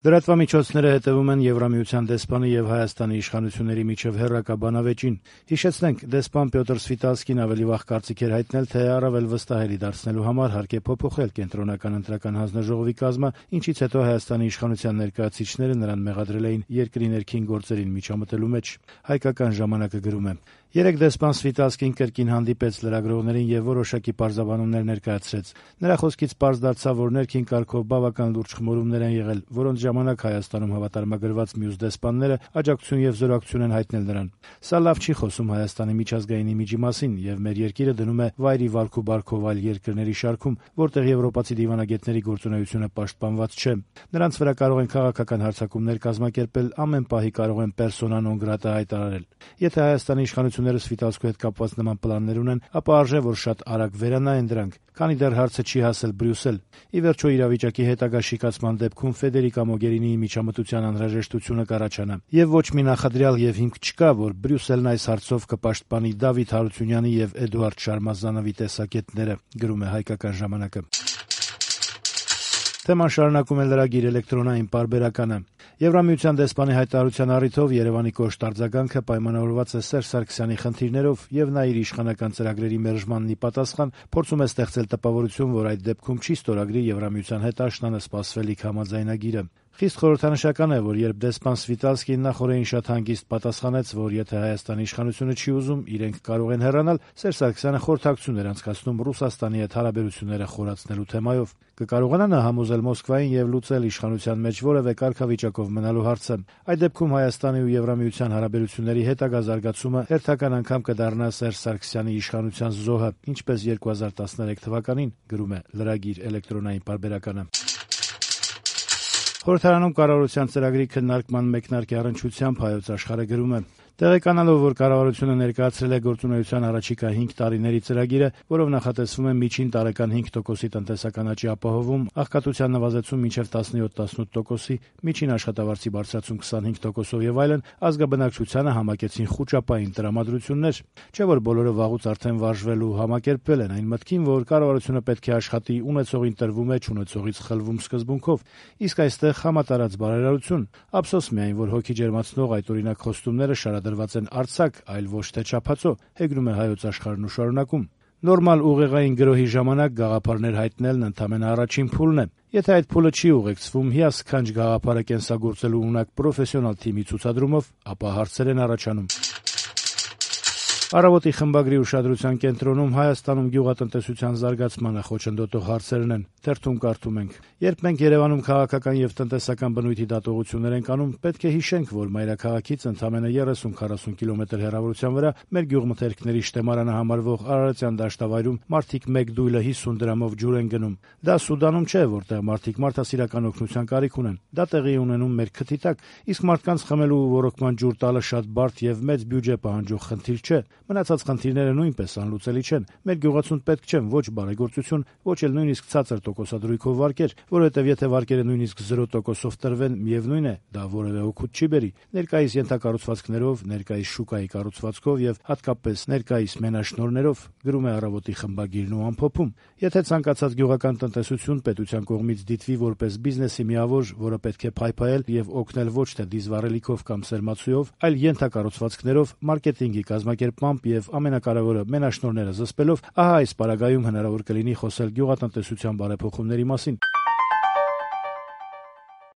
Լրատվամիջոցները հետևում են Եվրամիության դեսպանի եւ Հայաստանի իշխանությունների միջև հեռակա բանավեճին։ Հիշեցնենք, դեսպան Պյոտր Սվիտալսկին ավելի վաղ կարծիք էր հայտնել, թե առավել վստահելի դարձնելու համար հարկ է փոփոխել կենտրոնական ընտրական հանձնաժողովի կազմը, ինչից հետո Հայաստանի իշխանության ներկայացուցիչները նրան մեղադրել էին երկրի ներքին գործերին միջամտելու մեջ։ Հայկական ժամանակը գրում է. Երեկ դեսպան Սվիտալսկին կրկին հանդիպեց լրագրողներին եւ որոշակի պարզաբանումներ ներկայացրեց։ Նրա խոսքից պարզ դարձավ, որ ներքին կարգով բավական լուրջ խմորումներ են եղել, որոնց ժամանակ Հայաստանում հավատարմագրված մյուս դեսպանները աջակցություն եւ զորակցություն են հայտնել նրան։ Սա լավ չի խոսում Հայաստանի միջազգային իմիջի մասին եւ մեր երկիրը դնում է վայրի վարք ու բարքով այլ երկրների շարքում, որտեղ եվրոպացի դիվանագետների գործունեությունը պաշտպանված չէ։ Նրանց վրա կարող են քաղաքական հարձակումներ կազմակերպել, ամեն պահի կարող են պերսոնա նոն գրատա հայտարարել։ Եթե Հայաստանի իշխանությունները Սվիտալսկու հետ կապված նման պլաններ ունեն, ապա արժե որ շատ արագ վերանայեն դրանք, քանի դեռ հարցը չի հասել Բրյուսել։ Ի վերջո իրավիճակի հետագա շիկացման դեպքում Ֆեդերիկա Մոգերինիի միջամտության անհրաժեշտությունը կառաջանա։ Եվ ոչ մի նախադրյալ եւ հիմք չկա, որ Բրյուսելն այս հարցով կպաշտպանի Դավիթ Հարությունյանի եւ Էդուարդ Շարմազանովի տեսակետները, գրում է Հայկական ժամանակը։ Թեման շարունակում է լրագիր էլեկտրոնային պարբերականը։ Եվրամիության դեսպանի հայտարարության առիթով Երևանի կոշտ արձագանքը պայմանավորված է Սերժ Սարգսյանի խնդիրներով եւ նա իր իշխանական ծրագրերի մերժմանն ի պատասխան փորձում է ստեղծել տպավորություն, որ այդ դեպքում չի ստորագրի Եվրամիության հետ աշնանը սպասվելիք համաձայնագիրը։ Խիստ խորհրդանշական է, որ երբ դեսպան Սվիտալսկին նախորդին շատ հանգիստ պատասխանեց, որ եթե Հայաստանի իշխանությունը չի ուզում, իրենք կարող են հեռանալ, Սերժ Սարգսյանը խորհրդակցություն էր անցկացնում Ռուսաստանի հետ հարաբերությունները խորացնելու թեմայով։ Կկարողանա նա համոզել Մոսկվային եւ լուծել իշխանության մեջ որևէ կարգավիճակով մնալու հարցը։ Այդ դեպքում Հայաստանի ու Եվրամիության հարաբերությունների հետագա զարգացումը հերթական անգամ կդառնա Սերժ Սարգսյանի իշխանության զոհը, ինչպես 2013 թվականին, գրում է լրագիր էլեկտրոնային պարբերականը։ Խորհրդարանում կառավարության ծրագրի քննարկման մեկնարկի առնչությամբ Հայոց աշխարհը գրում է. Տեղեկանալով, որ կառավարությունը ներկայացրել է գործունեության առաջիկա 5 տարիների ծրագիրը, որով նախատեսվում է միջին տարեկան 5%-ի տնտեսական աճի ապահովում, աղքատության նվազեցում մինչև 17-18%-ի, միջին աշխատավարձի բարձրացում 25%-ով եւ այլն, ազգաբնակչությանը համակեցին խուճապային տրամադրություններ, չէ՞ որ բոլորը վաղուց արդեն վարժվել ու համակերպվել են այն մտքին, որ կառավարությունը պետք է աշխատի ունեցողին տրվում է, չունեցողից խլվում սկզբունքով, իսկ այստեղ համատարած բարերարություն։ Ափսոս միայն, որ հոգի ջերմացնող այդ օրինակ խոստումները շարադրված են արձակ, այլ ոչ թե չափածո, հեգնում է Հայոց աշխարհն ու շարունակում։ Նորմալ ուղեղային գրոհի ժամանակ գաղափարներ հայտնելն ընդամենը առաջին փուլն է։ Եթե այդ փուլը չի ուղեկցվում հիասքանչ գաղափարը կենսագործելու ունակ պրոֆեսիոնալ թիմի ցուցադրումով, ապա հարցեր են առաջանում։ Առավոտի խմբագրի ուշադրության կենտրոնում Հայաստանում գյուղատնտեսության զարգացմանը խոչընդոտող հարցերն են։ Թերթում կարդում ենք. Երբ մենք Երևանում քաղաքական եւ տնտեսական բնույթի դատողություններ ենք անում, պետք է հիշենք, որ մայրաքաղաքից ընդամենը 30-40 կիլոմետր հեռավորության վրա մեր գյուղմթերքների շտեմարանը համարվող Արարատյան դաշտավայրում մարդիկ մեկ դույլը 50 դրամով ջուր են գնում։ Դա Սուդանում չէ, որտեղ մարդիկ մարդասիրական օգնության կարիք ունեն։ Դա տեղի ունենում մեր քթի տակ, իսկ մարդկանց խմելու ու ոռոգման ջուր տալը շատ բարդ եւ մեծ բյուջե պահանջող խնդիր չէ։ Մնացած խնդիրները նույնպես անլուծելի չեն։ Մեր գյուղացուն պետք չեն ոչ բարեգործություն, ոչ էլ նույնիսկ ցածր տոկոսադրույքով վարկեր, որովհետև եթե վարկերը նույնիսկ 0%-ով տրվեն, միևնույն է, դա որևէ օգուտ չի բերի։ Ներկայիս ենթակառուցվածքներով, ներկայիս շուկայի կառուցվածքով եւ հատկապես ներկայիս մենաշնորհներով, գրում է Առավոտի խմբագիրն ու ամփոփում։ Եթե ցանկացած գյուղական տնտեսություն պետության կողմից դիտվի որպես բիզնեսի միավոր, որը պետք է փայփայել եւ օգնել ոչ թե դիզվառելիքով կամ սերմացույով, այլ ենթակառուցվածքներով, մարքեթինգի կազմակերպմամբ եւ ամենակարևորը մենաշնորհները զսպելով, ահա այս պարագայում հնարավոր կլինի խոսել գյուղատնտեսության բարեփոխումների մասին։